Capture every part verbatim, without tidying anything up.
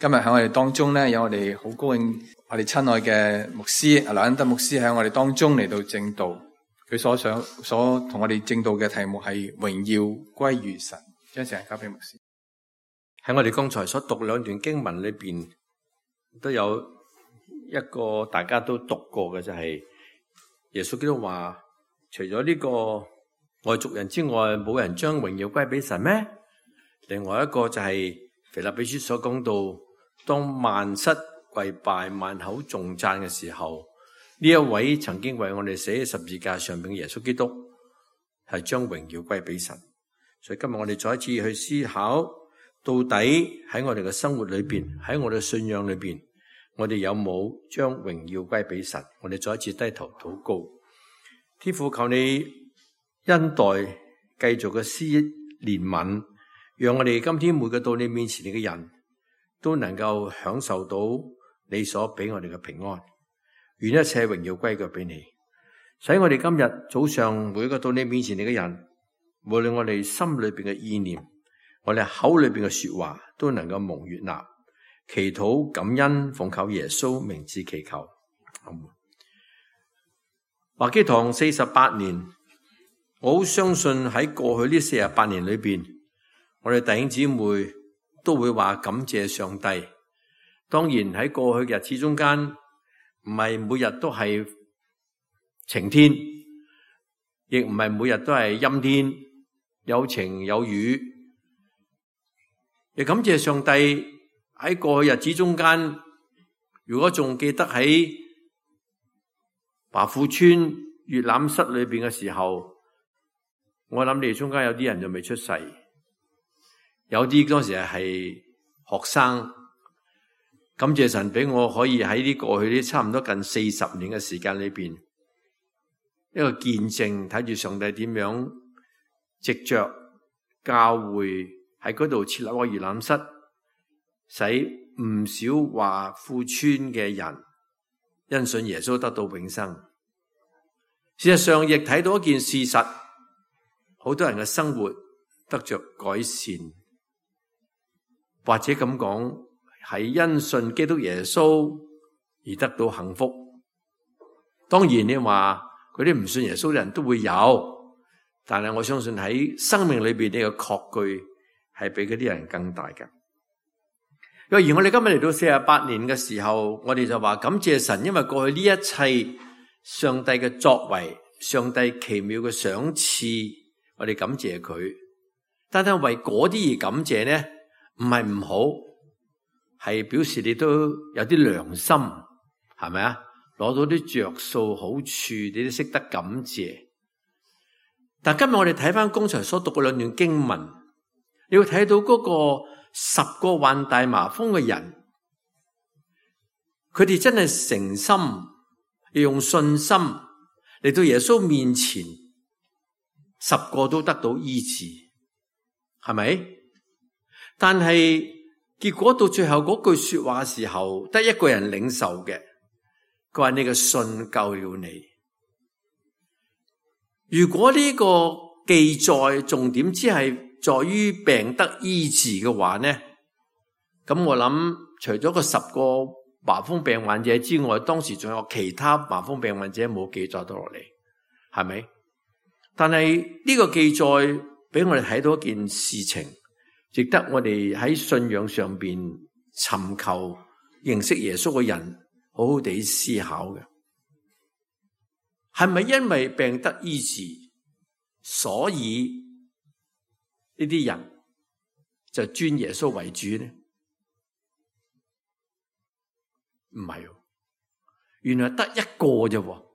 今日喺我哋當中咧，有我哋好高興，我哋親愛嘅牧師劉恩德牧師喺我哋當中嚟到證道。佢所想所同我哋證道嘅題目係榮耀歸於神。將時間交俾牧師。喺我哋剛才所讀兩段經文裏邊，都有一個大家都讀過嘅，就係耶穌基督話：除咗呢個外族人之外，冇人將榮耀歸俾神咩？另外一個就係腓立比書所講到，當萬膝跪拜、萬口頌讚嘅時候，呢一位曾經為我哋死喺十字架上邊嘅耶穌基督，係將榮耀歸俾神。所以今日我哋再一次去思考，到底喺我哋嘅生活裏邊，喺我哋嘅信仰裏邊，我哋有冇將榮耀歸俾神？我哋再一次低頭禱告，天父，求你恩待，繼續嘅施憐憫，讓我哋今天每個到你面前嘅人都能夠享受到你所俾我哋嘅平安。願一切榮耀歸腳俾你，使我哋今日早上每一個到你面前嘅人，無論我哋心裏邊嘅意念，我哋口裏邊嘅說話，都能夠蒙悅納。祈禱感恩，奉靠耶穌名字祈求。華基堂四十八年，我好相信喺過去呢四十八年裏邊，我哋弟兄姊妹都會話感謝上帝。當然喺過去嘅日子中間，唔係每日都係晴天，亦唔係每日都係陰天，有晴有雨。亦感謝上帝喺過去日子中間，如果仲記得喺華富村閱覽室裏邊嘅時候，我諗你哋中間有啲人就未出世，有啲當時係學生。感謝神俾我可以喺呢過去呢差唔多近四十年嘅時間裏邊，一個見證，睇住上帝點樣藉着教會喺嗰度設立個閱覽室，使唔少華富村嘅人因信耶穌得到永生。事實上亦睇到一件事實，好多人嘅生活得着改善，或者咁講，係因信基督耶穌而得到幸福。當然你話嗰啲唔信耶穌嘅人都會有，但係我相信喺生命裏邊呢個確據係比嗰啲人更大嘅。若然我哋今日嚟到四十八年嘅時候，我哋就話感謝神，因為過去呢一切上帝嘅作為，上帝奇妙嘅賞賜，我哋感謝佢。但係為嗰啲而感謝呢，唔係唔好。係表示你都有啲良心，係咪啊？攞到啲着數好處，你都識得感謝。但今日我哋睇翻剛才所讀嘅兩段經文，你會睇到嗰個十個患大麻風嘅人，佢哋真係誠心，要用信心嚟到耶穌面前，十個都得到醫治，係咪？但係結果到最後嗰句說話嘅時候，得一個人領受嘅，佢話你嘅信救了你。如果呢個記載重點只係在於病得醫治嘅話呢，咁我諗除咗個十個麻風病患者之外，當時仲有其他麻風病患者冇記載到落嚟，係咪？但係呢個記載俾我哋睇到一件事情，值得我哋喺信仰上邊尋求認識耶穌嘅人好好地思考嘅，係咪因為病得醫治，所以呢啲人就尊耶穌為主呢？唔係，原來得一個啫，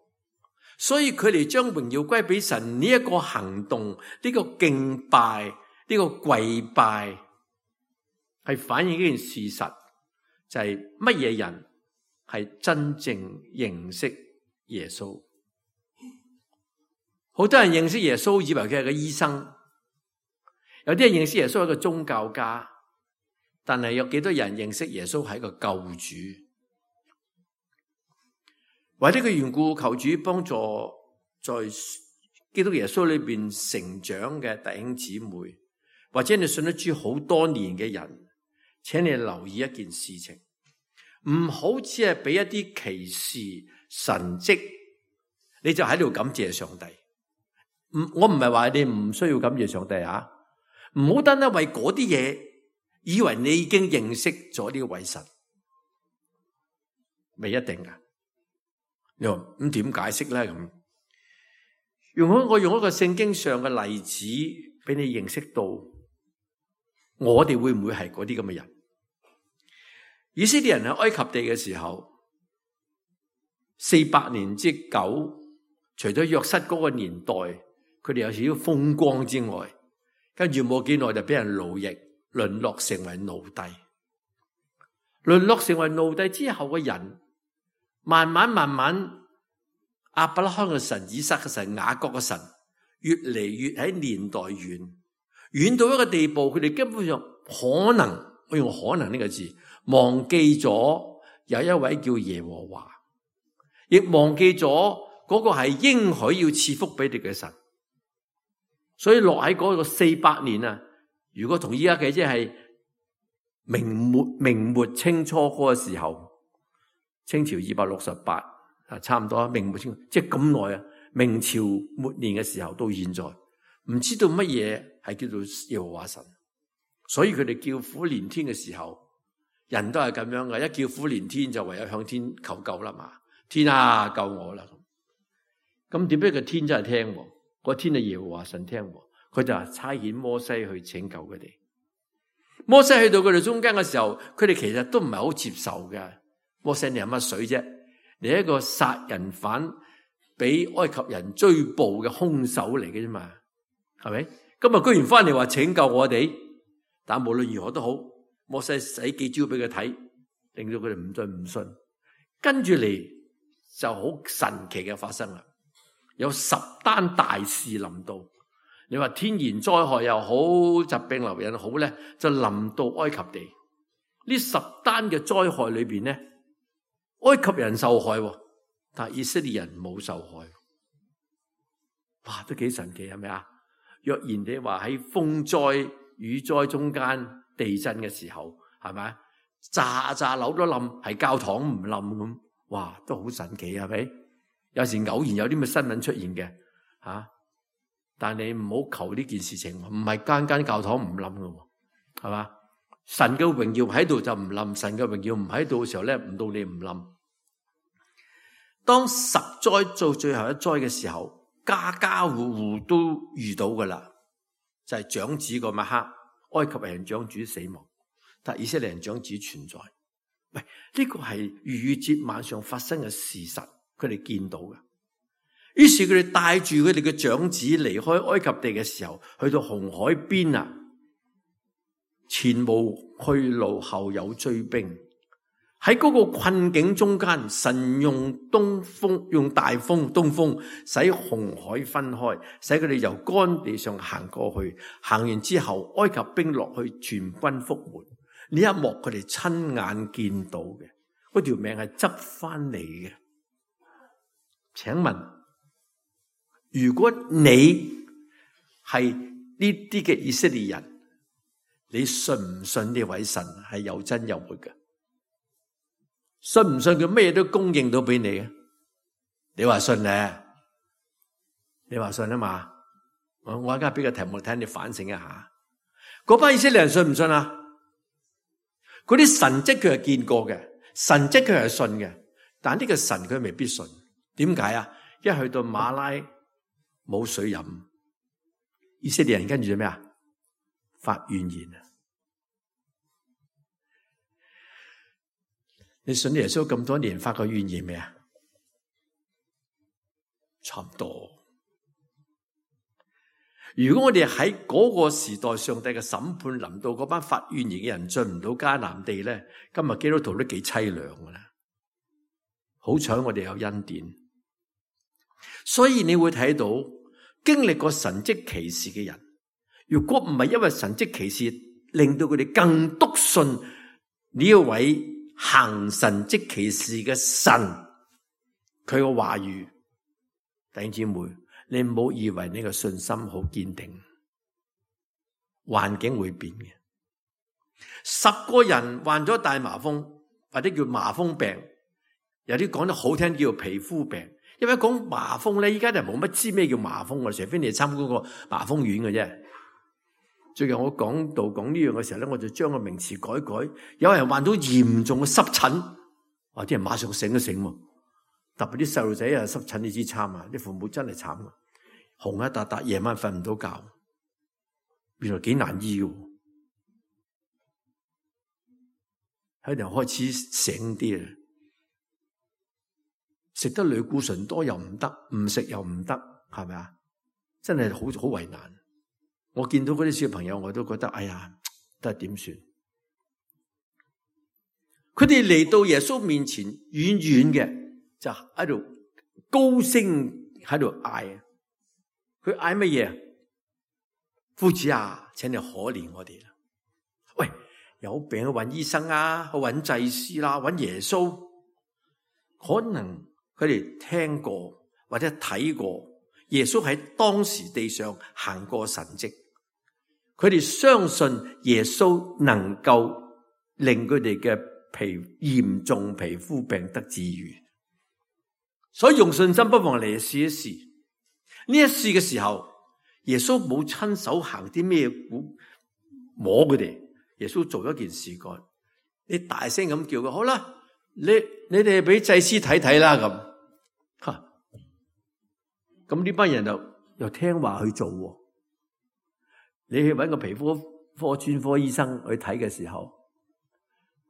所以佢哋將榮耀歸俾神呢一個行動，呢個敬拜，呢個跪拜係反映一件事實，就係乜嘢人係真正認識耶穌。好多人認識耶穌以為佢係個醫生，有啲人認識耶穌係個宗教家，但係有幾多人認識耶穌係個救主？為呢個緣故，求主幫助在基督耶穌裏邊成長嘅弟兄姊妹，或者你信得主好多年嘅人，請你留意一件事情，唔好只係俾一啲奇事神蹟，你就喺度感謝上帝。唔，我唔係話你唔需要感謝上帝啊，唔好單單為嗰啲嘢，以為你已經認識咗呢位神，未一定噶。你話咁點解釋咧？咁用我我用一個聖經上嘅例子俾你認識到，我哋會唔會係嗰啲咁嘅人？以色列人喺埃及地嘅時候，四百年之久，除咗約瑟嗰個年代，佢哋有少少風光之外，跟住冇幾耐就俾人奴役，淪落成為奴隸。淪落成為奴隸之後嘅人，慢慢慢慢，亞伯拉罕嘅神、以撒嘅神、雅各嘅神，越嚟越喺年代遠，遠到一個地步，佢哋根本上可能，我用可能呢個字，忘記咗有一位叫耶和華，亦忘記咗嗰個係應許要賜福俾你嘅神。所以落喺嗰個四百年啊，如果同依家嘅即係明末明末清初嗰個時候，清朝二百六十八啊，差唔多明末清，即係咁耐啊。明朝末年嘅時候到現在，唔知道乜嘢係叫做耶和華神，所以佢哋叫苦連天嘅時候，人都係咁樣嘅，一叫苦連天就唯有向天求救啦嘛。天啊，救我啦！咁點解個天真係聽？個天係耶和華神聽，佢就係差遣摩西去拯救佢哋。摩西去到佢哋中間嘅時候，佢哋其實都唔係好接受嘅。摩西，你係乜水啫？你係一個殺人犯，俾埃及人追捕嘅兇手嚟嘅啫嘛，係咪？今日居然翻嚟話拯救我哋，但無論如何都好，摩西使幾招俾佢睇，令到佢哋唔信唔信。跟住嚟就好神奇嘅發生啦，有十單大事臨到。你話天然災害又好，疾病流人好咧，就臨到埃及地。呢十單嘅災害裏邊咧，埃及人受害，但係以色列人冇受害。哇，都幾神奇，係咪啊？若然你話喺風災雨災中間地震嘅時候，係咪炸炸樓都冧，係教堂唔冧咁，哇，都好神奇，係咪？有時偶然有啲咩新聞出現嘅，吓、啊，但你唔好求呢件事情，唔係間間教堂唔冧㗎，係嘛？神嘅榮耀喺度就唔冧，神嘅榮耀唔喺度嘅時候咧，唔到你唔冧。當十災做最後一災嘅時候，家家戶戶都遇到噶啦，就係、是、長子嗰晚黑，埃及人長子死亡，但以色列人長子存在。喂，呢、這個係逾越節晚上發生嘅事實，佢哋見到嘅。於是佢哋帶住佢哋嘅長子離開埃及地嘅時候，去到紅海邊啊，前無去路，後有追兵。喺嗰個困境中間，神用東風，用大風東風，使紅海分開，使佢哋由乾地上行過去。行完之後，埃及兵落去，全軍覆沒。呢一幕佢哋親眼見到嘅，嗰條命係執翻嚟嘅。請問，如果你係呢啲嘅以色列人，你信唔信呢位神係有真有活嘅？信唔信佢咩都供應到俾你啊？你話信咧？你話信啊嘛？我我而家俾個題目睇你反省一下。嗰班以色列人信唔信啊？嗰啲神蹟佢係見過嘅，神蹟佢係信嘅，但呢個神佢未必信。點解啊？一去到馬拉冇水飲，以色列人跟住做咩啊？發怨言啊！你信耶穌咁多年，發過怨言未啊？差唔多。如果我哋喺嗰個時代，上帝嘅審判臨到，嗰班發怨言嘅人進唔到迦南地咧，今日基督徒都幾淒涼噶啦。好彩我哋有恩典，所以你會睇到經歷過神蹟奇事嘅人，如果唔係因為神蹟奇事令到佢哋更篤信呢一位行神蹟奇事嘅神，佢個話語，弟兄姊妹，你唔好以為呢個信心好堅定，環境會變嘅。十個人患咗大麻風，或者叫麻風病，有啲講得好聽叫皮膚病。因為講麻風咧，依家就冇乜知咩叫麻風，我除非你參觀個麻風院嘅啫。最近我講到講呢樣嘅時候咧，我就將個名詞改改。有人患到嚴重嘅濕疹，哇！啲人馬上醒一醒喎。特別啲細路仔啊，濕疹你知慘啊，啲父母真係慘啊，紅一笪笪，夜晚瞓唔到覺，原來幾難醫嘅。喺度開始醒啲啊，食得類固醇多又唔得，唔食又唔得，係咪啊？真係好好為難。我見到嗰啲小朋友，我都覺得哎呀，得點算？佢哋嚟到耶穌面前，遠遠嘅就喺度高聲喺度嗌。佢嗌乜嘢？夫子啊，請你可憐我哋啦！喂，有病去揾醫生啊，去揾祭司啦，揾耶穌。可能佢哋聽過或者睇過耶穌喺當時地上行過神蹟。佢哋相信耶穌能夠令佢哋嘅皮嚴重皮膚病得治癒，所以用信心不妨嚟試一試。呢一試嘅時候，耶穌冇親手行啲咩摸佢哋，耶穌做一件事幹，你大聲咁叫佢，好啦，你你哋俾祭司睇睇啦咁，吓，咁呢班人就又聽話去做。你去搵個皮膚科專科醫生去睇嘅時候，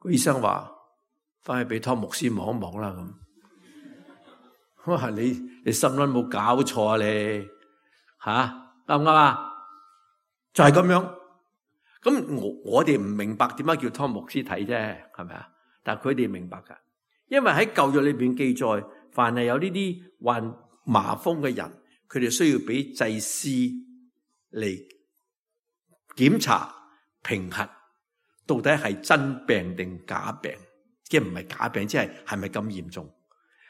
個醫生話翻去俾湯牧師望一望啦咁。我話你你心諗冇搞錯啊你吓，啱唔啱啊？就係咁樣。咁我我哋唔明白點解叫湯牧師睇啫，係咪啊？但係佢哋明白噶，因為喺舊約裏邊記載，凡係有呢啲患麻風嘅人，佢哋需要俾祭司嚟檢查評核，到底係真病定假病，即係唔係假病，即係係咪咁嚴重，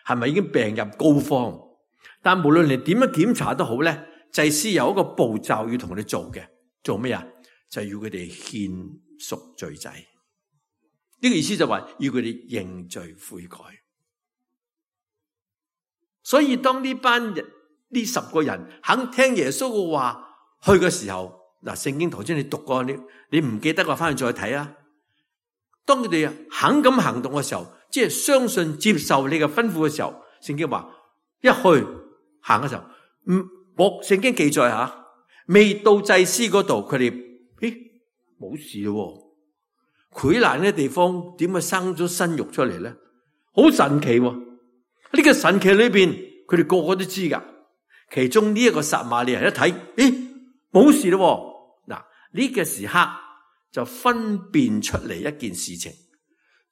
係咪已經病入膏肓？但無論你點樣檢查都好咧，祭司有一個步驟要同佢哋做嘅，做咩啊？就係要佢哋獻贖罪祭。呢個意思就話要佢哋認罪悔改。所以當呢班人呢十個人肯聽耶穌嘅話去嘅時候，嗱，聖經頭先你讀過，你你唔記得嘅，翻去再睇啊。當佢哋肯咁行動嘅時候，即係相信接受你嘅吩咐嘅時候，聖經話一去行嘅時候，唔我聖經記載吓，未到祭司嗰度，佢哋咦冇事咯。潰爛嘅地方點解生咗新肉出嚟咧？好神奇喎！呢個神奇裏邊，佢哋個個都知噶。其中呢一個撒瑪利亞人一睇，咦冇事咯。嗱，呢個時刻就分辨出嚟一件事情，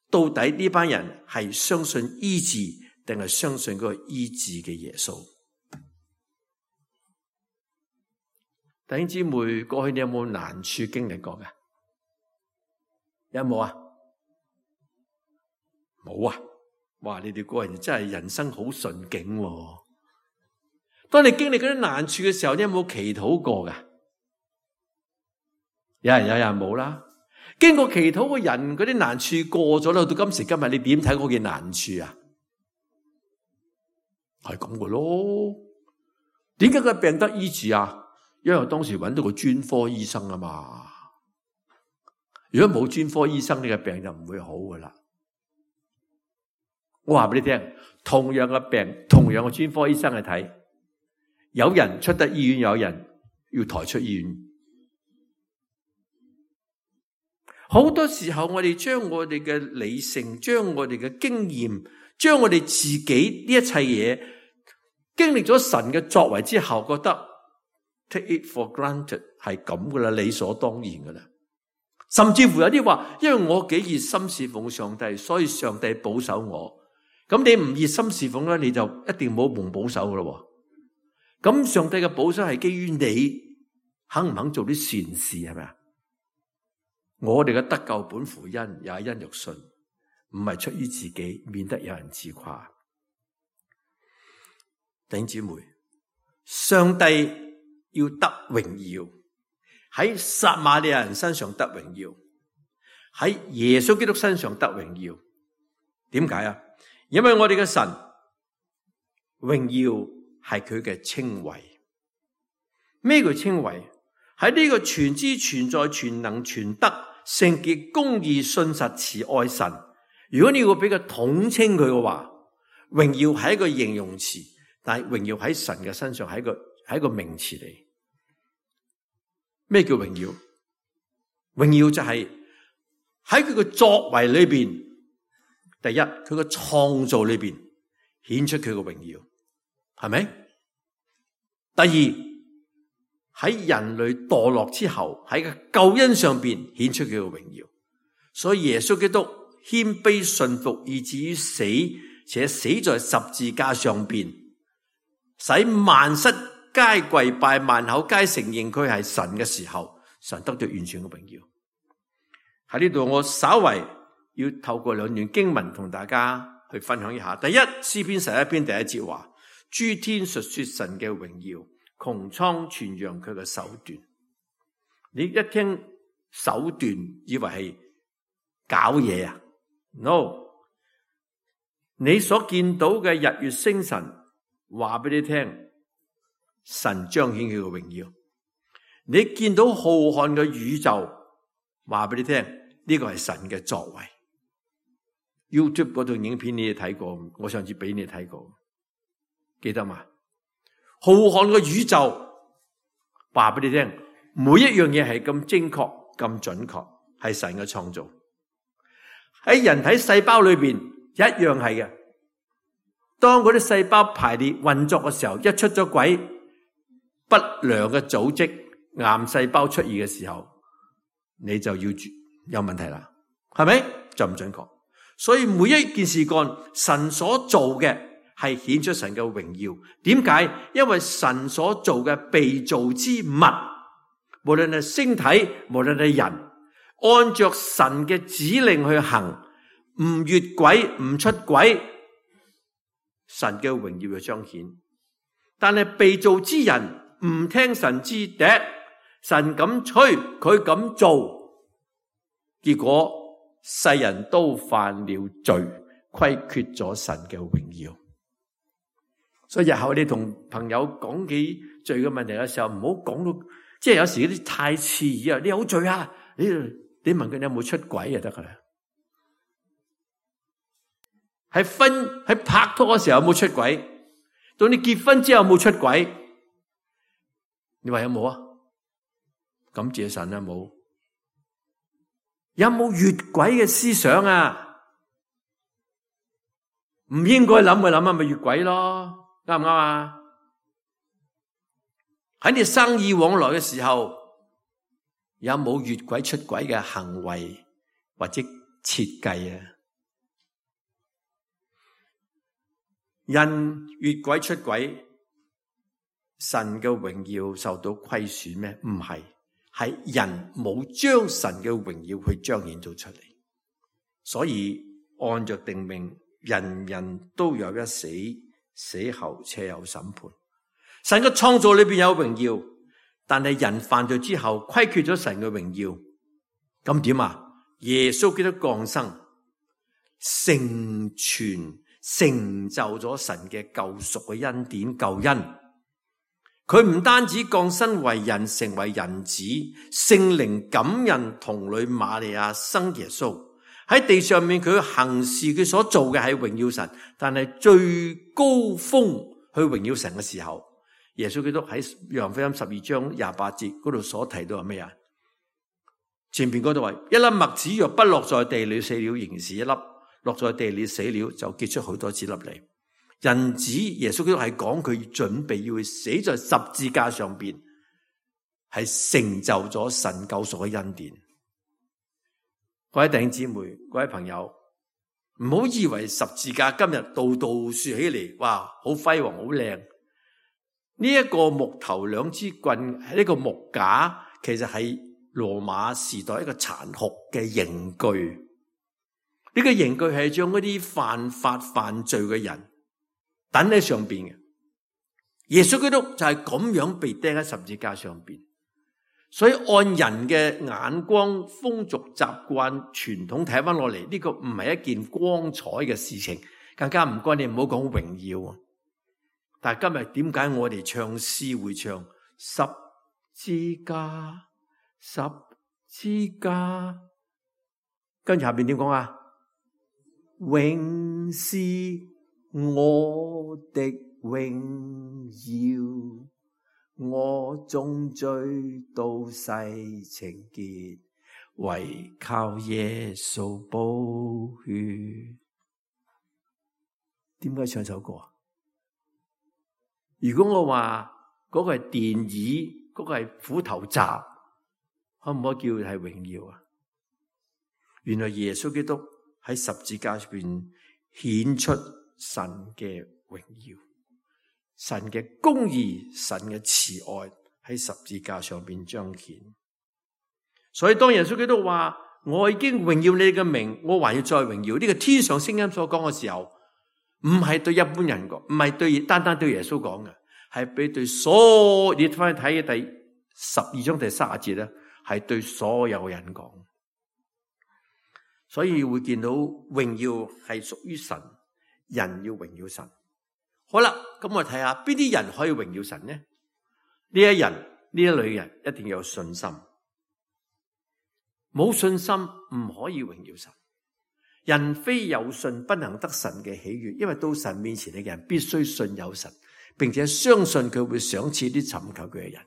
到底呢班人係相信醫治定係相信嗰個醫治嘅耶穌？弟兄姊妹，過去你有冇難處經歷過嘅？有冇啊？冇啊！哇！你哋個人真係人生好順境喎。當你經歷嗰啲難處嘅時候，你有冇祈禱過㗎？有人有人冇啦。經過祈禱嘅人，嗰啲難處過咗啦，到今時今日，你點睇嗰件難處啊？係咁嘅咯。點解佢病得醫治啊？因為我當時揾到個專科醫生啊嘛。如果冇專科醫生，你嘅病就唔會好噶啦。我話俾你聽，同樣嘅病，同樣嘅專科醫生去睇，有人出得醫院，有人要抬出醫院。好多時候我哋將我哋嘅理性，將我哋嘅經驗，將我哋自己呢一切嘢，經歷咗神嘅作為之後，覺得 take it for granted 係咁噶啦，理所當然噶啦。甚至乎有啲話，因為我幾熱心侍奉上帝，所以上帝保守我。咁你唔熱心侍奉咧，你就一定冇蒙保守噶咯。咁上帝嘅保守係基於你肯唔肯做啲善事，係咪啊？我哋嘅得救本乎恩，也因着信，唔係出於自己，免得有人自誇。弟兄姊妹，上帝要得榮耀，喺撒瑪利亞人身上得榮耀，喺耶穌基督身上得榮耀。點解啊？因為我哋嘅神榮耀係佢嘅稱謂。咩叫稱謂？喺呢個全知全在全能全德聖潔公義信實慈愛神，如果你要俾佢統稱佢嘅話，榮耀係一個形容詞，但係榮耀喺神嘅身上係一個係一個名詞嚟。咩叫榮耀？榮耀就係喺佢嘅作為裏邊，第一佢嘅創造裏邊顯出佢嘅榮耀，係咪？第二喺人類墮落之後，喺個救恩上邊顯出佢嘅榮耀。所以耶穌基督謙卑順服，以至於死，且死在十字架上邊，使萬膝皆跪拜，萬口皆承認佢係神嘅時候，神得到完全嘅榮耀。喺呢度我稍為要透過兩段經文同大家去分享一下。第一，詩篇十一篇第一節話：諸天述說神嘅榮耀，穹蒼傳揚佢嘅手段。你一聽手段，以為係搞嘢啊 ？No， 你所見到嘅日月星辰，話俾你聽，神彰顯佢嘅榮耀。你見到浩瀚嘅宇宙，話俾你聽，呢個係神嘅作為。YouTube 嗰段影片你哋睇過，我上次俾你睇過，記得嘛？浩瀚嘅宇宙，話俾你聽，每一樣嘢係咁精確、咁準確，係神嘅創造。喺人體細胞裏邊一樣係嘅。當嗰啲細胞排列運作嘅時候，一出咗軌，不良嘅組織、癌細胞出現嘅時候，你就要有問題啦，係咪？就唔準確。所以每一件事幹，神所做嘅係顯出神嘅榮耀。點解？因為神所做嘅被造之物，無論係星體，無論係人，按着神嘅指令去行，唔越軌，唔出軌，神嘅榮耀就彰顯。但係被造之人唔聽神之笛，神咁吹，佢咁做，結果世人都犯了罪，虧缺咗神嘅榮耀。所以日後你同朋友講起罪嘅問題嘅時候，唔好講到，即係有時啲太刺耳啊！你有罪啊？你你問佢你有冇出軌就得噶啦。喺婚喺拍拖嘅時候有冇出軌？到你結婚之後有冇出軌？你話有冇啊？感謝神啊，冇。有冇越軌嘅思想啊？唔應該諗嘅諗下咪越軌咯，啱唔啱啊？喺你生意往來嘅時候，有冇越軌出軌嘅行為或者設計啊？人越軌出軌，神嘅榮耀受到虧損咩？唔係。係人冇將神嘅榮耀去彰顯到出嚟，所以按着定命，人人都有一死，死後且有審判。神嘅創造裏邊有榮耀，但係人犯罪之後虧缺咗神嘅榮耀，咁點啊？耶穌基督降生，成全成就咗神嘅救贖嘅恩典救恩。佢唔單止降生為人，成為人子，聖靈感孕童女瑪利亞生耶穌喺地上面，佢行事佢所做嘅係榮耀神，但係最高峰去榮耀神嘅時候，耶穌基督喺約翰福音十二章廿八節嗰度所提到係咩啊？前邊嗰度話，一粒麥子若不落在地裏死了，仍然是一粒；落在地裏死了，就結出好多子粒嚟。人子耶穌基督係講佢準備要去死在十字架上邊，係成就咗神救贖嘅恩典。各位弟兄姊妹、各位朋友，唔好以為十字架今日度度豎起嚟，哇，好輝煌、好靚。呢一個木頭兩支棍，呢個木架，其實係羅馬時代一個殘酷嘅刑具。呢個刑具係將嗰啲犯法犯罪嘅人等喺上邊嘅。耶穌基督就係咁樣被釘喺十字架上邊，所以按人嘅眼光、風俗習慣、傳統睇翻落嚟，呢個唔係一件光彩嘅事情，更加唔該你唔好講榮耀啊！但係今日點解我哋唱詩會唱十字架、十字架？跟住下邊點講啊？永是我的榮耀。我終追到世情結，唯靠耶穌寶血。點解唱首歌啊？如果我話嗰個係電椅，嗰個係虎頭閘，可唔可以叫係榮耀啊？原來耶穌基督喺十字架上邊顯出神嘅榮耀。神嘅公義，神嘅慈愛喺十字架上邊彰顯。所以當耶穌基督話我已經榮耀你嘅名，我還要再榮耀，呢個天上聲音所講嘅時候，唔係對一般人講，唔係對單單對耶穌講嘅，係俾對所有，你翻去睇嘅第十二章第三十節咧，係對所有人講。所以會見到榮耀係屬於神，人要榮耀神。好啦，咁我睇下邊啲人可以榮耀神呢？呢一人呢一類人一定要有信心，冇信心唔可以榮耀神。人非有信不能得神嘅喜悅，因為到神面前嘅人必須信有神，並且相信佢會賞賜啲尋求佢嘅人。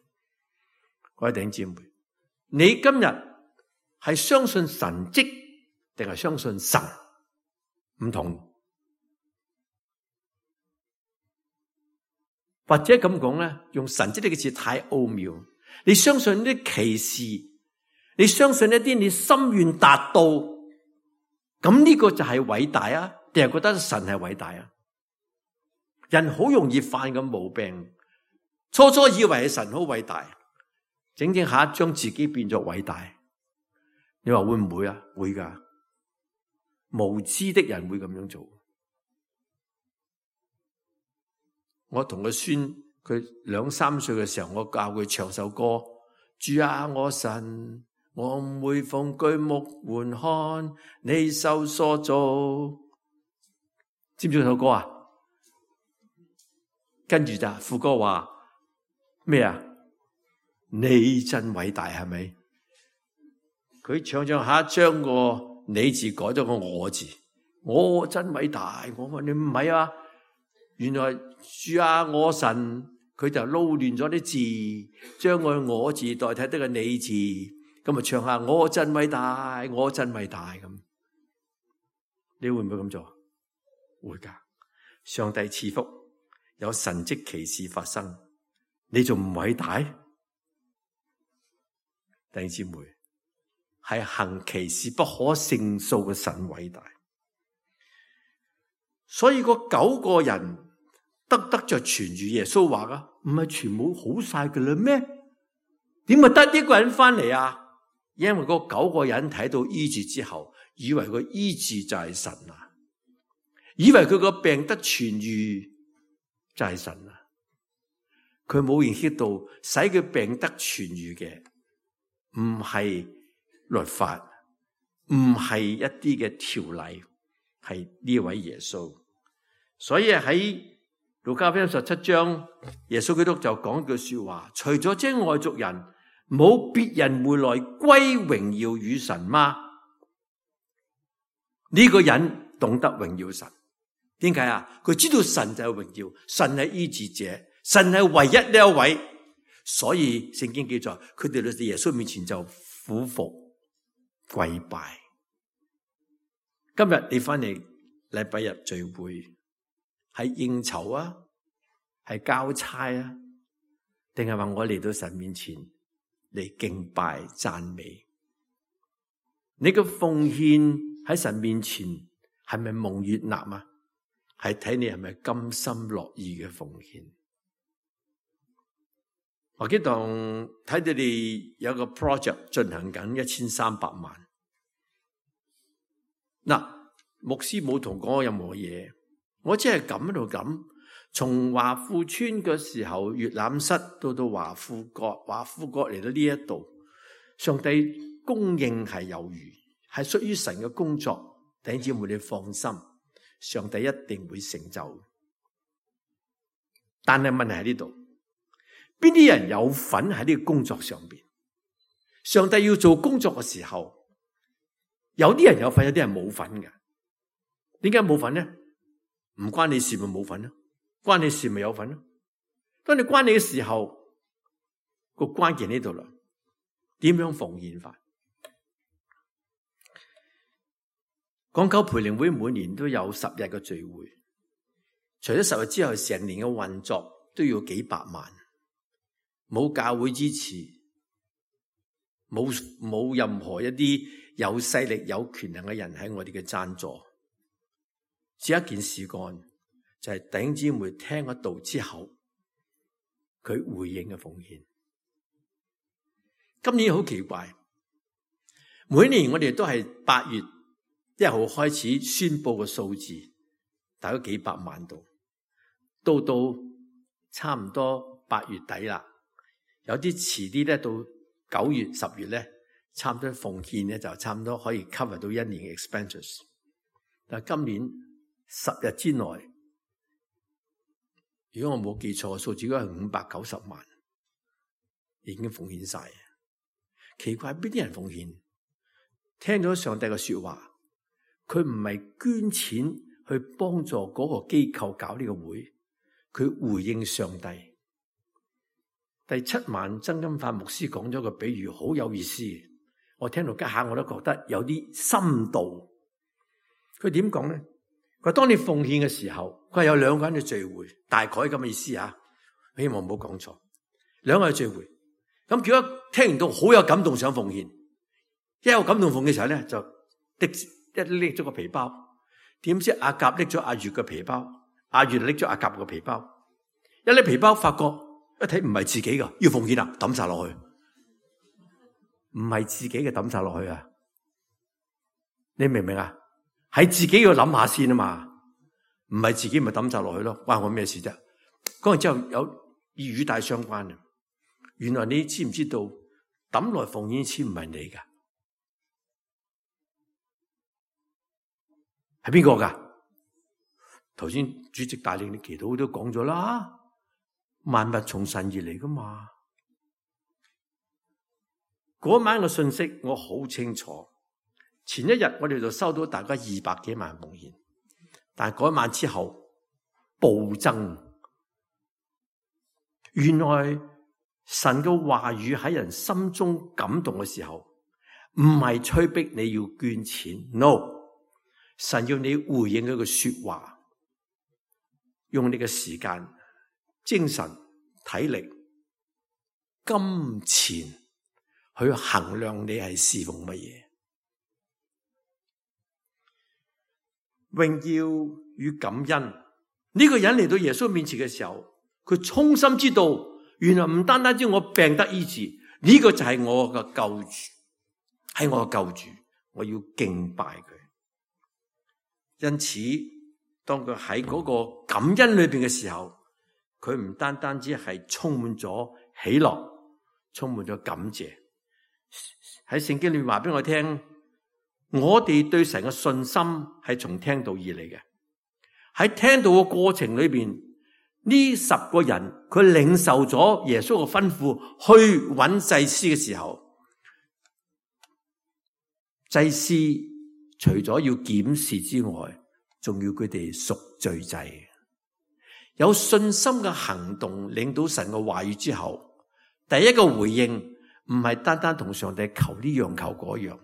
各位弟兄姊妹，你今日係相信神蹟定係相信神？唔同。或者咁講咧，用神蹟呢個字太奧妙。你相信啲奇事，你相信一啲你心願達到，咁呢個就係偉大啊？定係覺得神係偉大啊？人好容易犯個毛病，初初以為係神好偉大，整整下將自己變作偉大。你話會唔會啊？會噶，無知的人會咁樣做。我同個孫，佢兩三歲嘅時候，我教佢唱首歌：主啊，我神，我每逢舉目觀看，你手所做。知唔知首歌啊？跟住就副歌話咩啊？你真偉大，係咪？佢唱唱下，將個你字改咗個我字，我真偉大。我話你唔係啊？原來主啊，我神，佢就撈亂咗啲字，將個我字代替得個你字，咁啊唱下我真偉大，我真偉大咁。你會唔會咁做？會噶。上帝賜福，有神蹟奇事發生，你仲唔偉大？弟兄姊妹，係行奇事不可勝數嘅神偉大。所以嗰九個人得得就傳住耶穌話噶，唔係全部好晒噶啦咩？點會得一個人翻嚟啊？因為嗰九個人睇到醫治之後，以為個醫治就係神啊，以為佢個病得痊愈就係神啊。佢冇認識到使佢病得痊愈嘅唔係律法，唔係一啲嘅條例，係呢位耶穌。所以喺路加福音十七章，耶穌基督就講句說話：除咗這外族人，冇別人會來歸榮耀與神嗎？呢個人懂得榮耀神，點解啊？佢知道神就係榮耀，神係醫治者，神係唯一呢一位。所以聖經記載，佢哋喺耶穌面前就俯伏跪拜。今日你翻嚟禮拜日聚會，係應酬啊，係交差啊，定係話我嚟到神面前嚟敬拜讚美？你嘅奉獻喺神面前係咪蒙悅納啊？係睇你係咪甘心樂意嘅奉獻。我記得睇到你有個 project 進行緊一千三百萬。嗱，牧師冇同講任何嘢，我只係咁喺度咁。從華富村嘅時候，閱覽室到到華富閣，華富閣嚟到呢一度，上帝供應係有餘，係屬於神嘅工作。弟兄姊妹，你放心，上帝一定會成就。但係問題喺呢度，邊啲人有份喺呢個工作上邊？上帝要做工作嘅時候，有啲人有份，有啲人冇份嘅。點解冇份呢？唔關你事咪冇份咯，關你事咪有份咯。當你關你嘅時候，個關鍵喺呢度啦。點樣奉獻法？港九培靈會每年都有十日嘅聚會，除咗十日之後，成年嘅運作都要幾百萬。冇教會支持，冇冇任何一啲有勢力、有權能嘅人喺我哋嘅贊助。只一件事幹，就係弟兄姊妹聽咗道之後，佢回應嘅奉獻。今年好奇怪，每年我哋都係八月一號開始宣布嘅數字，大概幾百萬度，到到差唔多八月底啦，有啲遲啲咧，到九月、十月咧，差唔多奉獻咧就差唔多可以 cover 到一年嘅 expenses。但係今年十日之內，如果我冇記錯，數字應該係五百九十萬，已經奉獻晒。奇怪，邊啲人奉獻？聽咗上帝嘅說話，佢唔係捐錢去幫助嗰個機構搞呢個會，佢回應上帝。第七晚曾金發牧師講咗個比喻，好有意思。我聽到家下我都覺得有啲深度。佢點講咧？佢話當你奉獻嘅時候，佢係有兩個人嘅聚會，大概咁嘅意思啊。希望唔好講錯。兩個人聚會，咁如果聽完到好有感動想奉獻，一有感動奉獻嘅時候咧，就的一拎咗個皮包，點知阿甲拎咗阿月嘅皮包，阿月拎咗阿甲嘅皮包，一拎皮包發覺一睇唔係自己噶，要奉獻啊，抌晒落去，唔係自己嘅抌晒落去啊！你明唔明啊？係自己要諗下先啊嘛，唔係自己咪抌晒落去咯，關我咩事啫？講完之後有與語帶相關嘅，原來你知唔知道抌來奉獻錢唔係你噶？係邊個噶？頭先主席帶領你祈禱都講咗啦，萬物從神而嚟噶嘛。嗰晚嘅信息我好清楚，前一日我哋就收到大概二百幾萬奉獻，但係嗰晚之後暴增。原來神嘅話語喺人心中感動嘅時候，唔係催逼你要捐錢 ，no。神要你回應佢嘅說話，用你嘅時間、精神、體力、金錢去衡量你係侍奉乜嘢。榮耀與感恩，呢個人嚟到耶穌面前嘅時候，佢衷心知道，原來唔單單知我病得醫治，呢個就係我嘅救主，係我嘅救主，我要敬拜佢。因此，當佢喺嗰個感恩裏邊嘅時候，佢唔單單只係充滿咗喜樂，充滿咗感謝。喺聖經裏面話俾我聽，我哋對神嘅信心係從聽道而嚟嘅。喺聽道嘅過程裏邊，呢十個人佢領受咗耶穌嘅吩咐去揾祭司嘅時候，祭司除咗要檢視之外，仲要佢哋贖罪祭。有信心嘅行動領到神嘅話語之後，第一個回應唔係單單同上帝求呢樣求嗰樣，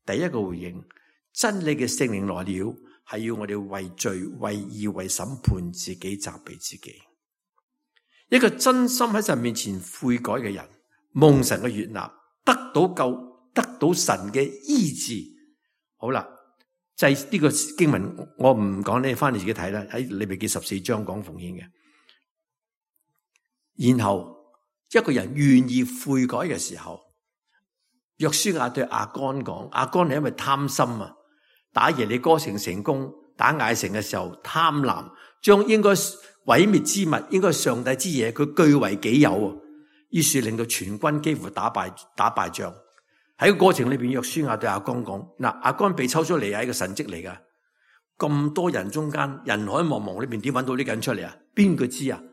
第一個回應，真理嘅聖靈來了，係要我哋為罪、為義、為審判自己責備自己。一個真心喺神面前悔改嘅人，蒙神嘅悅納，得到救，得到神嘅醫治。好啦，就係呢個經文，我唔講，你翻嚟自己睇啦。喺利未記十四章講奉獻嘅。然後一個人願意悔改嘅時候，約書亞對亞干講，亞干係因為貪心啊，打耶利哥城成功，打艾城嘅時候貪婪，將應該毀滅之物，應該上帝之嘢，佢據為己有啊。於是令到全軍幾乎打敗打敗仗。喺個過程裏邊，約書亞對亞干講：嗱，亞干被抽出嚟係一個神蹟嚟噶。咁多人中間，人海茫茫裏邊點揾到呢個人出嚟啊？邊個知啊？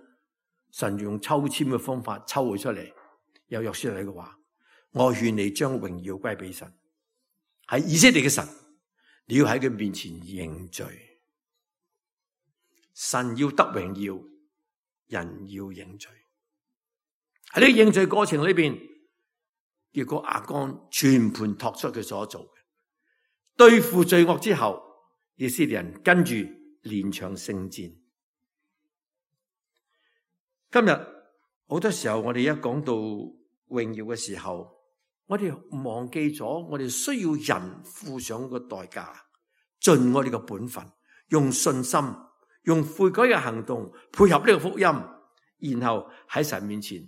神用抽籤嘅方法抽佢出嚟。有約書亞嘅話：我勸你將榮耀歸俾神，係以色列嘅神，你要喺佢面前認罪。神要得榮耀，人要認罪。喺呢個認罪過程裏邊，結果亞干全盤托出佢所做嘅，對付罪惡之後，以色列人跟住連場聖戰。今日好多時候我哋一講到榮耀嘅時候，我哋忘記咗我哋需要人付上個代價，盡我哋嘅本分，用信心，用悔改嘅行動配合呢個福音，然後喺神面前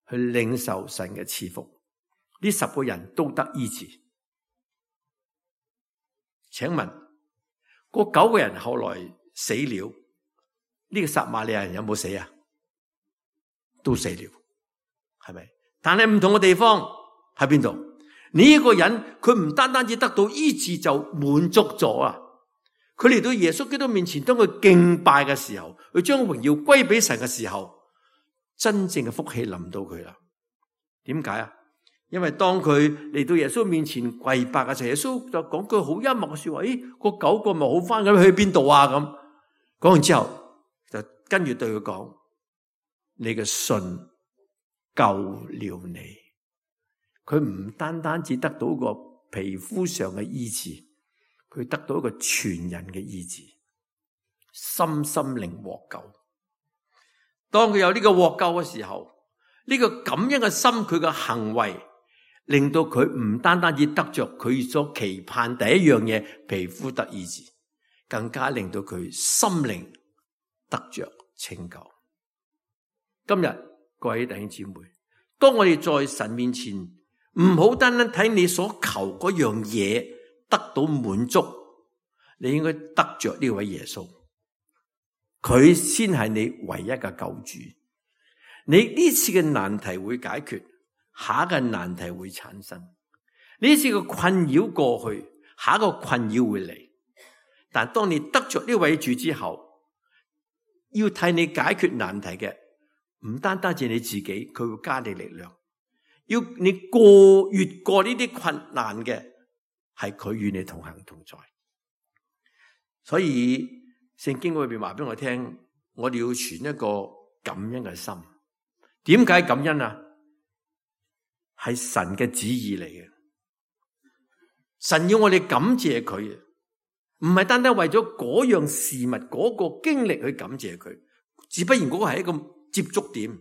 去領受神嘅賜福。呢十個人都得醫治。請問嗰九個人後來死了，呢個撒瑪利亞人有冇死啊？都死了，係咪？但係唔同嘅地方喺邊度？呢一個人佢唔單單只得到醫治就滿足咗啊！佢嚟到耶穌基督面前，當佢敬拜嘅時候，佢將榮耀歸俾神嘅時候，真正嘅福氣臨到佢啦。點解啊？因為當佢嚟到耶穌面前跪拜嘅時候，耶穌就講句好幽默嘅說話：咦，嗰九個咪好翻咁，去邊度啊？咁講完之後，就跟住對佢講：你嘅信救了你。佢唔單單只得到個皮膚上嘅醫治，佢得到一個全人嘅醫治，心心靈獲救。當佢有呢個獲救嘅時候，呢個感恩嘅心，佢嘅行為令到佢唔單單只得着佢所期盼第一樣嘢，皮膚得醫治，更加令到佢心靈得着拯救。今日各位弟兄姊妹，當我哋在神面前，唔好單單睇你所求嗰樣嘢得到滿足，你應該得着呢位耶穌，佢先係你唯一嘅救主。你呢次嘅難題會解決，下一個難題會產生。呢次嘅困擾過去，下一個困擾會嚟。但當你得着呢位主之後，要替你解決難題嘅，唔單單係你自己，佢會加你力量。要你過越過呢啲困難嘅，係佢與你同行同在。所以聖經裏邊話俾我聽，我哋要存一個感恩嘅心。點解感恩啊？係神嘅旨意嚟嘅。神要我哋感謝佢，唔係單單為咗嗰樣事物嗰個經歷去感謝佢，只不然嗰個係一個接觸點。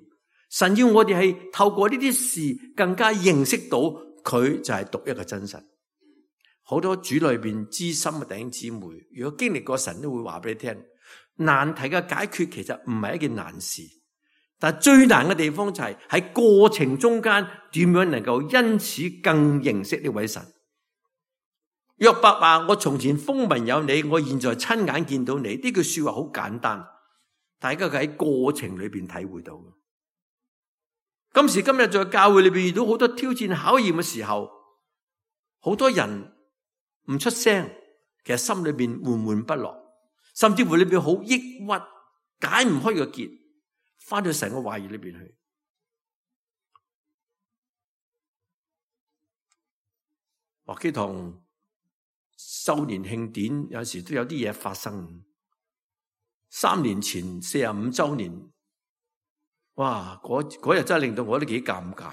神要我哋係透過呢啲事更加認識到佢就係獨一嘅真神。好多主裏邊知心嘅弟兄姊妹，如果經歷過神，都會話俾你聽，難題嘅解決其實唔係一件難事，但係最難嘅地方就係喺過程中間點樣能夠因此更認識呢位神。約伯話：我從前風聞有你，我現在親眼見到你。呢句說話好簡單，大家喺過程裏邊體會到。今時今日在教會裏邊遇到好多挑戰考驗嘅時候，好多人唔出聲，其實心裏邊悶悶不樂，甚至乎裏邊好抑鬱，解唔開個結，翻到神嘅話語裏邊去。華基堂周年慶典有時都有啲嘢發生。三年前四十五周年。哇！嗰嗰日真係令到我都幾尷尬。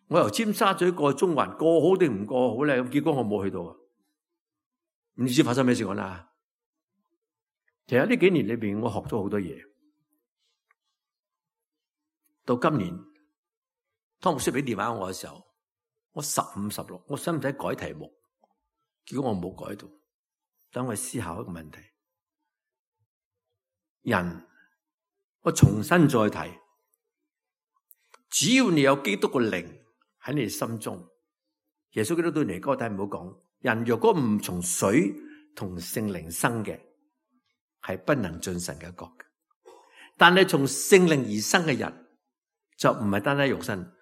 我由尖沙咀過中環，過好定唔過好咧？咁結果我冇去到。唔知發生咩事講啦？其實呢幾年裏邊，我學咗好多嘢。到今年，湯牧師俾電話我嘅時候，我十五十六，我使唔使改題目？結果我冇改到。等我思考一個問題：人，我重新再提。只要你有基督嘅靈喺你心中，耶穌基督對尼哥底母講：人若果唔從水同聖靈生嘅，係不能進神嘅國嘅。但係從聖靈而生嘅人，就唔係單單肉身。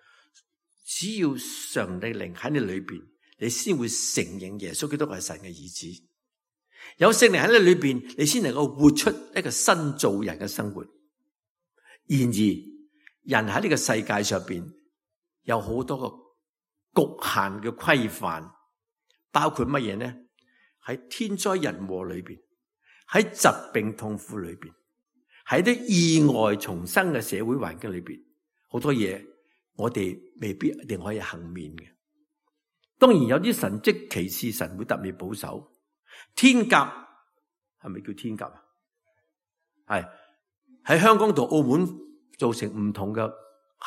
只要上帝靈喺你裏邊，你先會承認耶穌基督係神嘅兒子。有聖靈喺你裏邊，你先能夠活出一個新造人嘅生活。然而，人喺呢個世界上邊有好多個局限嘅規範，包括乜嘢呢？喺天災人禍裏邊，喺疾病痛苦裏邊，喺啲意外重生嘅社會環境裏邊，好多嘢我哋未必一定可以幸免嘅。當然有啲神蹟奇事，神會特別保守。天鴿係咪叫天鴿啊？係喺香港同澳門造成唔同嘅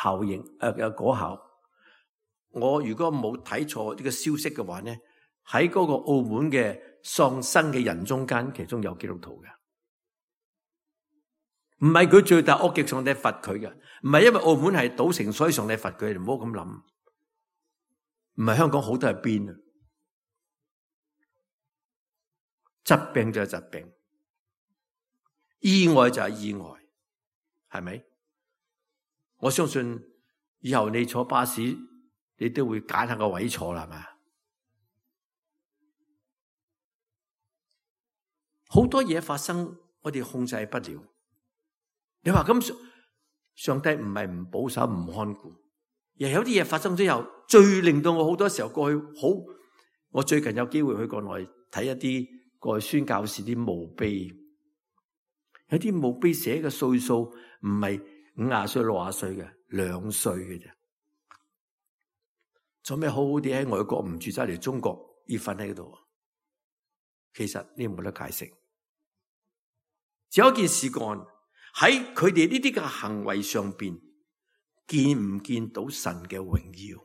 效應誒嘅果效。我如果冇睇錯呢個消息嘅話呢，喺嗰個澳門嘅喪生嘅人中間，其中有基督徒嘅，唔係佢罪大惡極，上帝罰佢嘅，唔係因為澳門係賭城所以上帝罰佢，你唔好咁諗。唔係香港好多係邊啊？疾病就係疾病，意外就係意外，係咪？我相信以後你坐巴士，你都會揀下個位坐啦，係嘛？好多嘢發生，我哋控制不了。你話咁，上帝唔係唔保守、唔看顧，而有啲嘢發生之後，最令到我好多時候過去好。我最近有機會去國內睇一啲過去宣教士啲墓碑，有啲墓碑寫嘅歲數唔係五廿歲、六廿歲嘅，兩歲嘅啫。做咩好好地喺外國唔住，走嚟中國要瞓喺度？其實呢冇得解釋。只有一件事幹喺佢哋呢啲嘅行為上邊，見唔見到神嘅榮耀？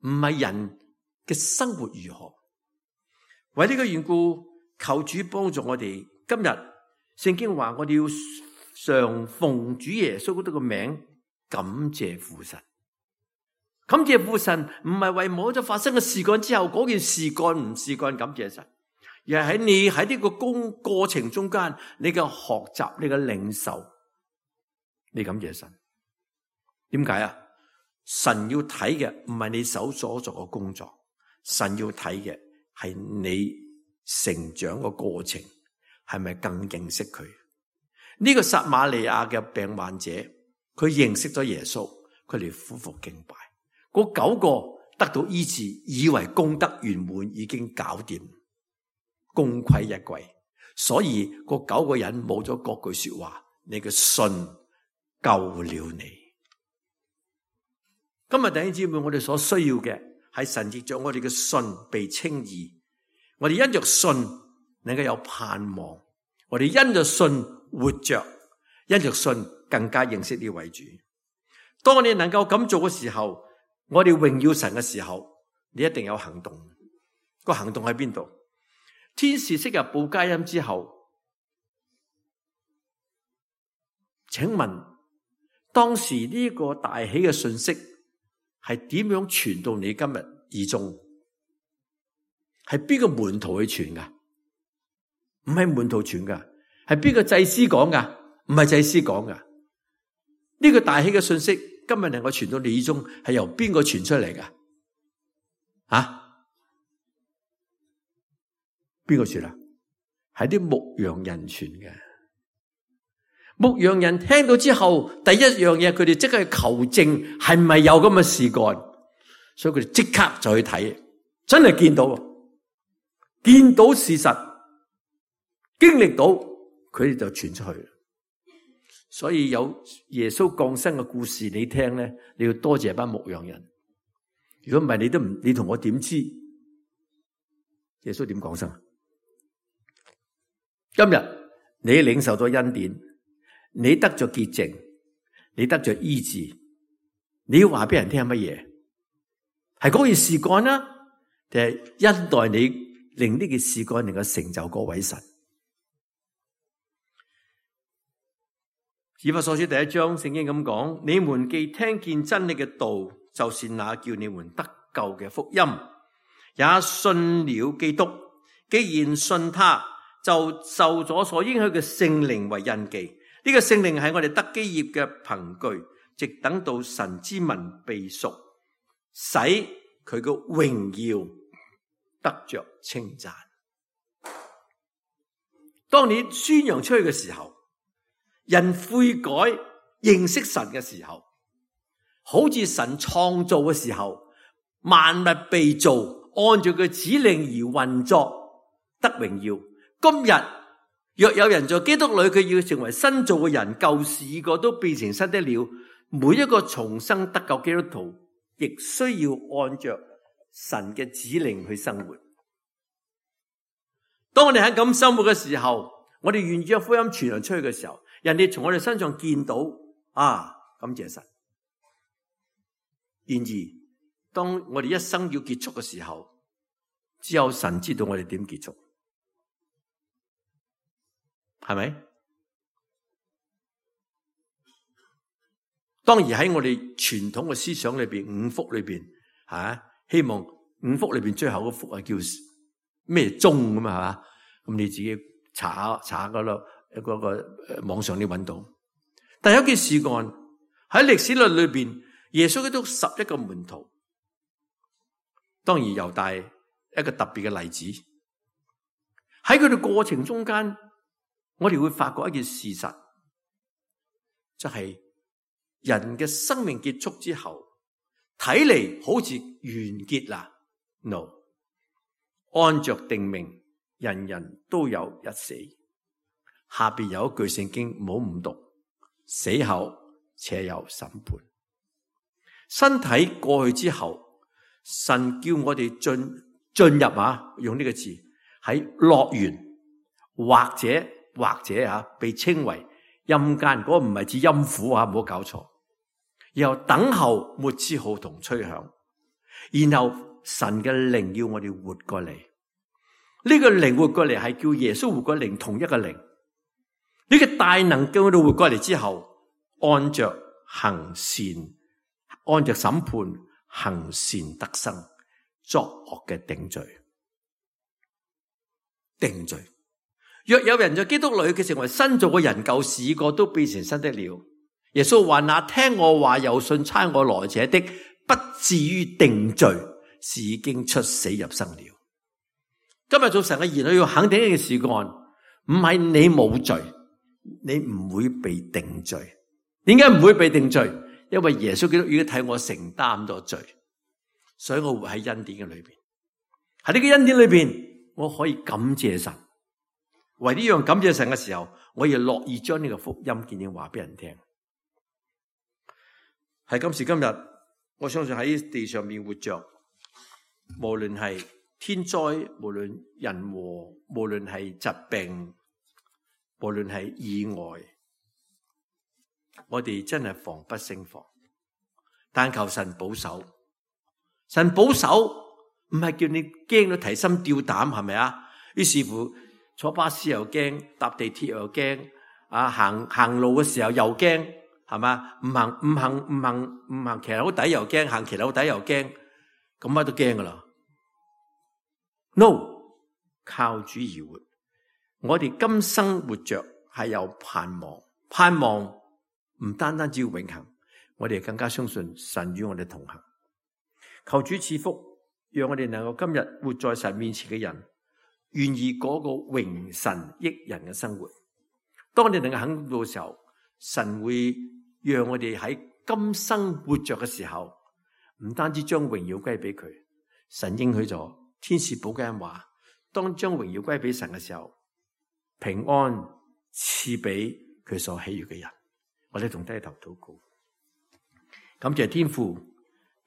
唔係人嘅生活如何？為呢個緣故，求主幫助我哋。今日聖經話我哋要常奉主耶穌基督嘅名，感謝父神。感謝父神唔係為某咗發生嘅事幹之後，嗰件事幹唔事幹感謝神，而係喺你喺呢個工過程中間，你嘅學習、你嘅領受，你感謝神。點解啊？神要睇嘅唔係你手所做嘅工作，神要睇嘅係你成長嘅過程，係咪更認識佢？呢個撒瑪利亞嘅病患者，佢認識咗耶穌，佢嚟俯伏敬拜。嗰九個得到醫治，以為功德圓滿，已經搞掂，功虧一簣。所以嗰九個人冇咗嗰句說話，你嘅信救了你。今日弟兄姊妹，我哋所需要嘅係神藉着我哋嘅信被稱義，我哋因着信能夠有盼望，我哋因着信活着，因着信更加認識呢位主。當你能夠咁做嘅時候，我哋榮耀神嘅時候，你一定有行動。個行動喺邊度？天使昔日報佳音之後，請問當時呢個大喜嘅信息係點樣傳到你今日耳中？係邊個門徒去傳噶？唔係門徒傳噶，係邊個祭司講噶？唔係祭司講噶。呢個大喜嘅信息今日能夠傳到你耳中，係由邊個傳出嚟噶？啊？邊個傳啊？係啲牧羊人傳嘅。牧羊人聽到之後，第一樣嘢佢哋即刻去求證，係咪有咁嘅事幹？所以佢哋即刻就去睇，真係見到，見到事實，經歷到，佢哋就傳出去。所以有耶穌降生嘅故事你聽咧，你要多謝班牧羊人。如果唔係，你都唔，你同我點知耶穌點降生？今日你領受咗恩典，你得咗潔淨，你得咗醫治，你要話俾人聽係乜嘢？係嗰件事幹啦，定係恩待你令呢件事幹能夠成就嗰位神？以弗所書第一章聖經咁講：你們既聽見真理嘅道，就是那叫你們得救嘅福音，也信了基督。既然信他，就受咗所應許嘅聖靈為印記。呢個聖靈係我哋得基業嘅憑據，直等到神之民被贖，使佢嘅榮耀得着稱讚。當你宣揚出去嘅時候，人悔改認識神嘅時候，好似神創造嘅時候，萬物被造，按照佢指令而運作，得榮耀。今日若有人在基督裏，佢要成為新造嘅人，舊事已過，都變成新的了。每一個重生得救基督徒，亦需要按着神嘅指令去生活。當我哋喺咁生活嘅時候，我哋願意將福音傳揚出去嘅時候，人哋從我哋身上見到啊，感謝神。然而，當我哋一生要結束嘅時候，只有神知道我哋點結束，係咪？當然喺我哋傳統嘅思想裏邊，五福裏邊，吓希望五福裏邊最後嗰福係叫咩宗咁啊？係嘛？咁你自己查下查下嗰度嗰個網上你揾到。但係有件事幹喺歷史論裏邊，耶穌基督十一個門徒，當然猶大一個特別嘅例子。喺佢哋過程中間，我哋會發覺一件事實，就係、是。人嘅生命結束之後，睇嚟好似完結啦。No， 按着定命，人人都有一死。下邊有一句聖經唔好誤讀，死後且有審判。身體過去之後，神叫我哋進進入啊，用呢個字喺樂園，或者或者啊，被稱為陰間。嗰個唔係指陰府啊，唔好搞錯。然後等候末之號同吹響，然後神嘅靈要我哋活過嚟。呢個靈活過嚟係叫耶穌活過靈，同一個靈。呢個大能叫我哋活過嚟之後，按着行善，按着審判行善得生，作惡嘅定罪。定罪。若有人在基督裏，佢成為新造嘅人，舊事已過，都變成新的了。耶穌話：那聽我話又信差我來者的，不至於定罪，是已經出死入生了。今日做神嘅兒女要肯定一件事幹，唔係你冇罪，你唔會被定罪。點解唔會被定罪？因為耶穌基督已經替我承擔咗罪，所以我活喺恩典嘅裏邊。喺呢個恩典裏邊，我可以感謝神。為呢樣感謝神嘅時候，我亦樂意將呢個福音見證話俾人聽。喺今時今日，我相信喺地上面活着，無論係天災，無論人禍，無論係疾病，無論係意外，我哋真係防不勝防。但求神保守，神保守唔係叫你驚到提心吊膽，係咪啊？於是乎坐巴士又驚，搭地鐵又驚，啊行行路嘅時候又驚。係嘛？唔行唔行唔行唔行騎樓底又驚，行騎樓底又驚，咁乜都驚噶啦。No， 靠主而活。我哋今生活着係有盼望，盼望唔單單只要永恆，我哋更加相信神與我哋同行。求主賜福，讓我哋能夠今日活在神面前嘅人，願意過個榮神益人嘅生活。當你能夠肯到嘅時候，神會讓我哋喺今生活着嘅時候，唔單止將榮耀歸俾佢，神應許咗天使保監話，當將榮耀歸俾神嘅時候，平安賜俾佢所喜悅嘅人。我哋同低頭禱告，感謝天父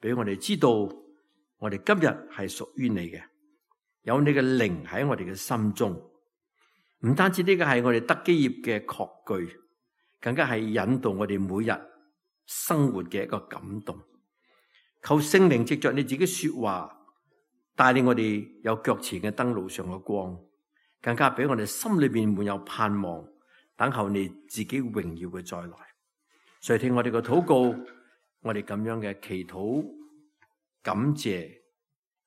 俾我哋知道，我哋今日係屬於你嘅，有你嘅靈喺我哋嘅心中，唔單止呢個係我哋得基業嘅確據，更加係引導我哋每日生活嘅一個感動。求聖靈藉着你自己說話，帶領我哋有腳前嘅燈路上嘅光，更加俾我哋心裏面滿有盼望，等候你自己榮耀嘅再來。垂聽我哋嘅禱告，我哋咁樣嘅祈禱、感謝、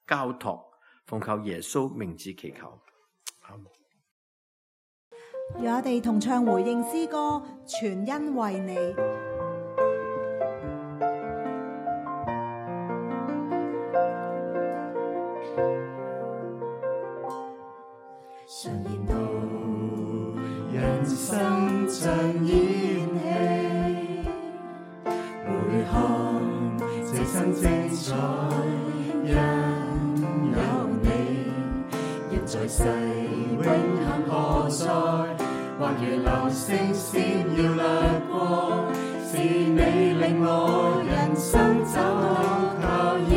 交託，奉靠耶穌名字祈求。阿門。讓我哋同唱回應詩歌，全因為你。生像演戲，每項這生精彩，因有你，人在世永恆何在？或如流星閃耀掠過，是你令我人生找到靠依。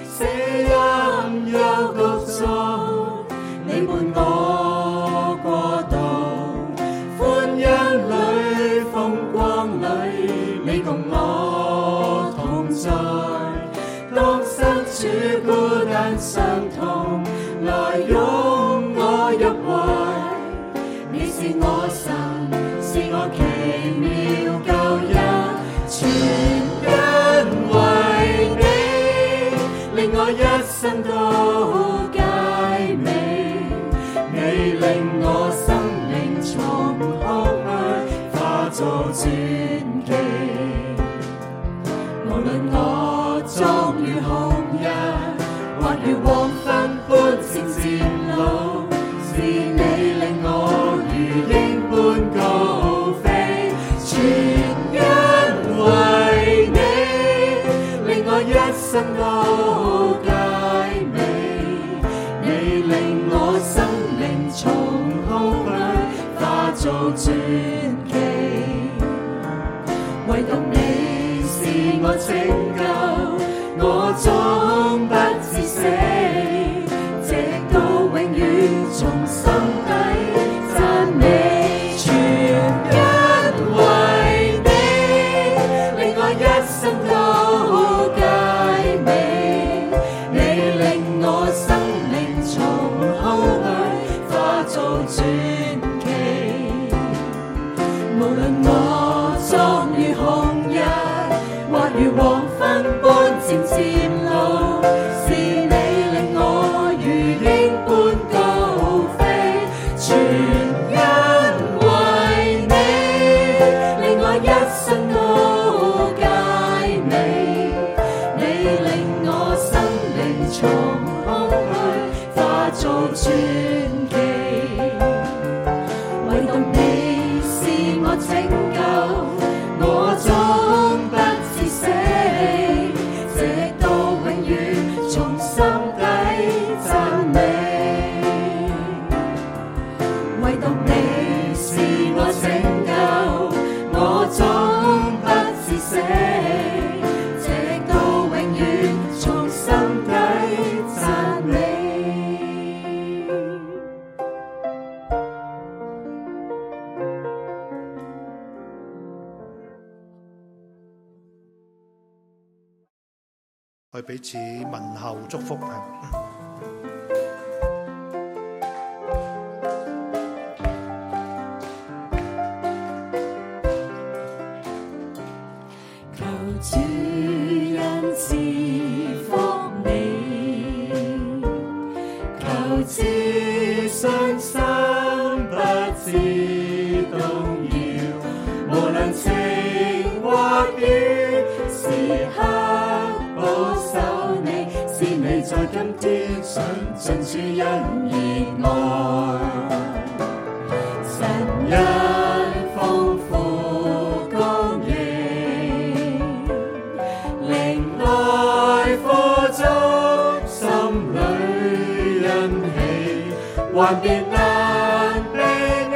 死蔭幽谷中，你伴我過渡，歡欣裏風光裏，你共我同在。當身處孤單傷痛，來擁我入懷，你是我神，是我奇妙救恩，全因為你，令我一生都佳美。你令我生命從空虛化作傳奇，無論我壯如紅日，或如黃昏般漸漸老，是你令我如鷹般高飛，全因為你，令我一生都佳美。你令我生命從空虛化作傳奇，唯獨你是我拯救，我終不致死，直到永遠從心底讚美。全因為你，令我一生都佳美。你令我生命從空虛化作傳奇，無論我壯如紅日，或如黃昏般漸漸老，是你令我如鷹般高飛，全因為你，令我一生都佳美。你令我生命從空虛化作傳奇，唯獨你是我拯救，我終不致死，直到永遠從心底讚美。唯獨你是我拯救，我終不致死，直到永遠從心底讚美。去彼此問候祝福。求主恩賜福你，求自信心不致動搖，無論晴或雨，時刻保守你，是你在今天想盡主恩熱愛。神恩豐富供應，靈愛富足，心裏欣喜，還別難避免。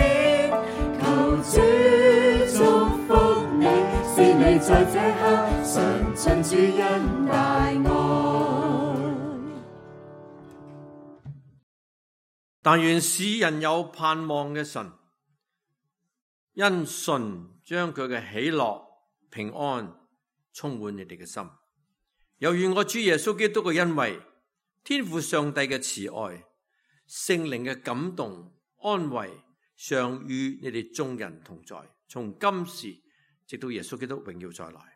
求主祝福你，是你在這刻嘗盡主恩大愛。但願使人有盼望嘅神，因信將佢嘅喜樂平安充滿你哋嘅心，又願我主耶穌基督嘅恩惠、天父上帝嘅慈愛、聖靈嘅感動安慰，常與你哋眾人同在，從今時直到耶穌基督榮耀再來。